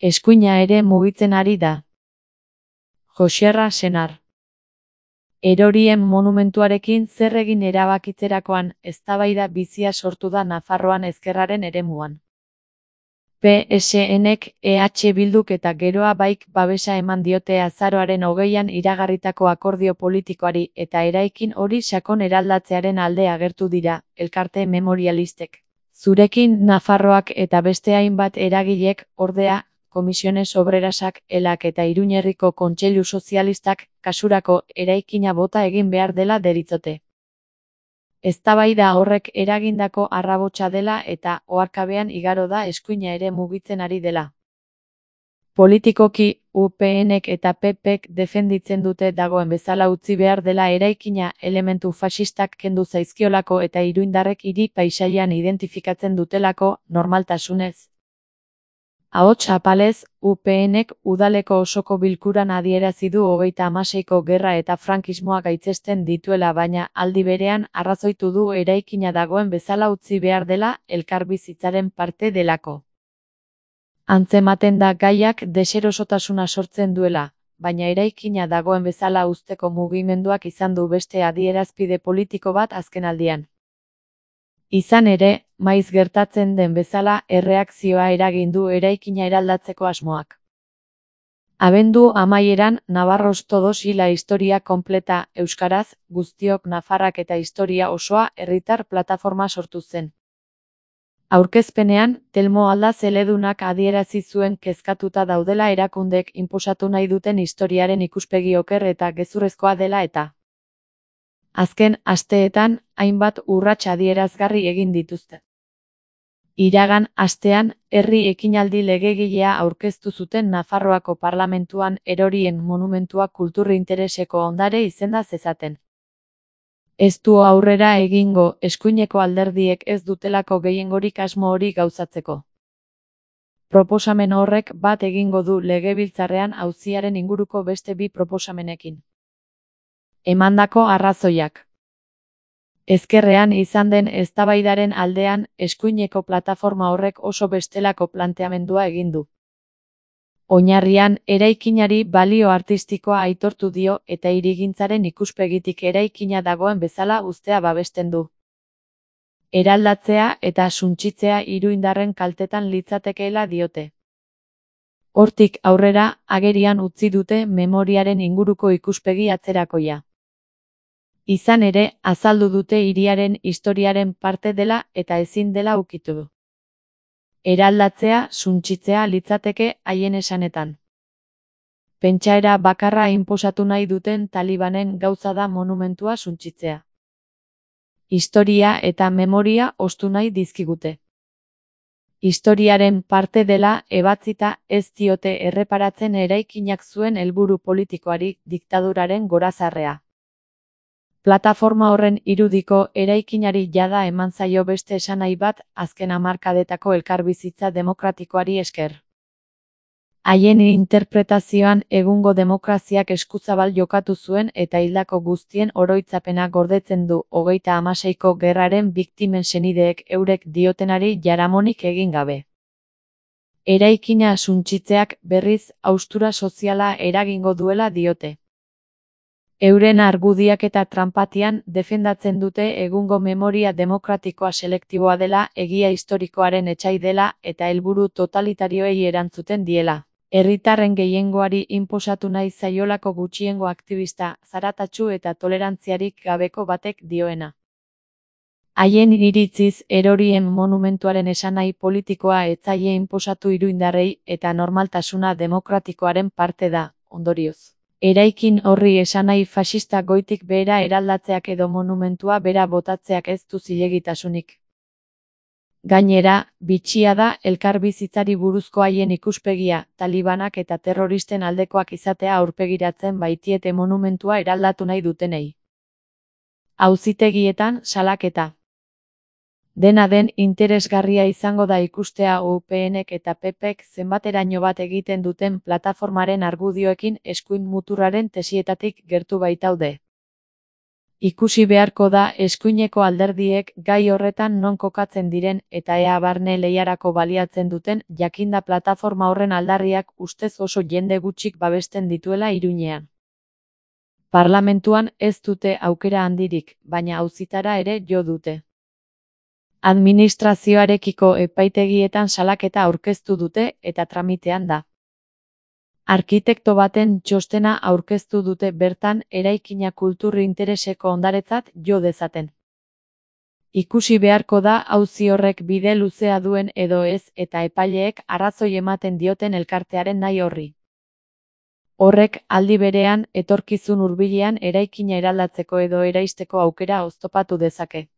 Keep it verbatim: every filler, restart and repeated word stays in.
Eskuina ere mugitzen ari da. Joxerra Senar. Erorien monumentuarekin zer egin erabakitzerakoan eztabaida bizia sortu da Nafarroan ezkerraren eremuan. P S N-ek, E H Bilduk eta Geroa Baik babesa eman diote azaroaren hogeian iragarritako akordio politikoari eta eraikin hori sakon eraldatzearen alde agertu dira, elkarte memorialistek. Zurekin Nafarroak eta beste hainbat eragilek, ordea, Komisiones Obrerasak, Elak eta Iruñerriko Kontseilu Sozialistak, kasurako eraikina bota egin behar dela deritzote. Eztabaida horrek eragindako arrabotsa dela eta oharkabean igaro da eskuina ere mugitzen ari dela. Politikoki, U P N-ek eta P P-ek defenditzen dute dagoen bezala utzi behar dela eraikina elementu faxistak kendu zaizkiolako eta iruindarrek hiri paisaian identifikatzen dutelako, normaltasunez. Ahots apalez, U P N-ek udaleko osoko bilkuran adierazi du hogeita hamaseiko gerra eta frankismoa gaitzesten dituela baina aldi berean arrazoitu du eraikina dagoen bezala utzi behar dela elkarbizitzaren parte delako. Antzematen da gaiak deserosotasuna sortzen duela, baina eraikina dagoen bezala uzteko mugimenduak izan du beste adierazpide politiko bat azkenaldian. Izan ere, maiz gertatzen den bezala erreakzioa eragin du eraikina eraldatzeko asmoak. Abendu amaieran, Navarros Todos y la Historia Completa, euskaraz, guztiok Nafarrak eta historia osoa herritar plataforma sortu zen. Aurkezpenean, Telmo Aldaz eledunak adierazi zuen kezkatuta daudela erakundek inposatu nahi duten historiaren ikuspegi oker eta gezurrezkoa dela eta azken asteetan, hainbat urrats adierazgarri egin dituzte. Iragan astean, herri ekinaldi legegilea aurkeztu zuten Nafarroako parlamentuan erorien monumentua kultur intereseko ondare izenda zezaten. Ez du aurrera egingo eskuineko alderdiek ez dutelako gehiengorik asmo hori gauzatzeko. Proposamen horrek bat egingo du legebiltzarrean auziaren inguruko beste bi proposamenekin. Emandako arrazoiak. Ezkerrean izan den eztabaidaren aldean, eskuineko plataforma horrek oso bestelako planteamendua egin du. Oinarrian, eraikinari balio artistikoa aitortu dio eta hirigintzaren ikuspegitik eraikina dagoen bezala uztea babesten du. Eraldatzea eta suntsitzea iruindarren kaltetan litzatekeela diote. Hortik aurrera, agerian utzi dute memoriaren inguruko ikuspegi atzerakoia. Izan ere, azaldu dute hiriaren historiaren parte dela eta ezin dela ukitu. Eraldatzea, suntsitzea litzateke haien esanetan. Pentsaera bakarra inposatu nahi duten talibanen gauza da monumentua suntsitzea. Historia eta memoria ostu nahi dizkigute. Historiaren parte dela ebatzita ez diote erreparatzen eraikinak zuen helburu politikoari diktaduraren gorazarrea. Plataforma horren irudiko eraikinari jada eman zaio beste esanahi bat azken hamarkadetako elkarbizitza demokratikoari esker. Haien interpretazioan egungo demokraziak eskuzabal jokatu zuen eta hildako guztien oroitzapena gordetzen du hogeita hamaseiko gerraren biktimen senideek eurek diotenari jaramonik egin gabe. Eraikina suntsitzeak berriz haustura soziala eragingo duela diote. Euren argudiak eta tranpatian defendatzen dute egungo memoria demokratikoa selektiboa dela, egia historikoaren etsai dela eta helburu totalitarioei erantzuten diela. Herritarren gehiengoari inposatu nahi zaiolako gutxiengo aktivista, zaratatsu eta tolerantziarik gabeko batek dioena. Haien iritziz erorien monumentuaren esanahi politikoa ez zaie inposatu iruindarrei eta normaltasuna demokratikoaren parte da, ondorioz. Eraikin horri esanahi faxista goitik behera eraldatzeak edo monumentua bera botatzeak ez du zilegitasunik. Gainera, bitxia da elkarbizitzari buruzko haien ikuspegia, talibanak eta terroristen aldekoak izatea aurpegiratzen baitiete monumentua eraldatu nahi dutenei. Auzitegietan salaketa. Dena den interesgarria izango da ikustea U P N-ek eta P P-ek zenbateraino bat egiten duten plataformaren argudioekin eskuin muturraren tesietatik gertu baitaude. Ikusi beharko da eskuineko alderdiek gai horretan non kokatzen diren eta ea barne lehiarako baliatzen duten, jakinda plataforma horren aldarriak ustez oso jende gutxik babesten dituela Iruñean. Parlamentuan ez dute aukera handirik, baina auzitara ere jo dute. Administrazioarekiko epaitegietan salaketa aurkeztu dute eta tramitean da. Arkitekto baten txostena aurkeztu dute bertan eraikina kultur intereseko ondaretzat jo dezaten. Ikusi beharko da auzi horrek bide luzea duen edo ez eta epaileek arrazoi ematen dioten elkartearen nahi horri. Horrek aldi berean etorkizun hurbilean eraikina eraldatzeko edo eraisteko aukera oztopatu dezake.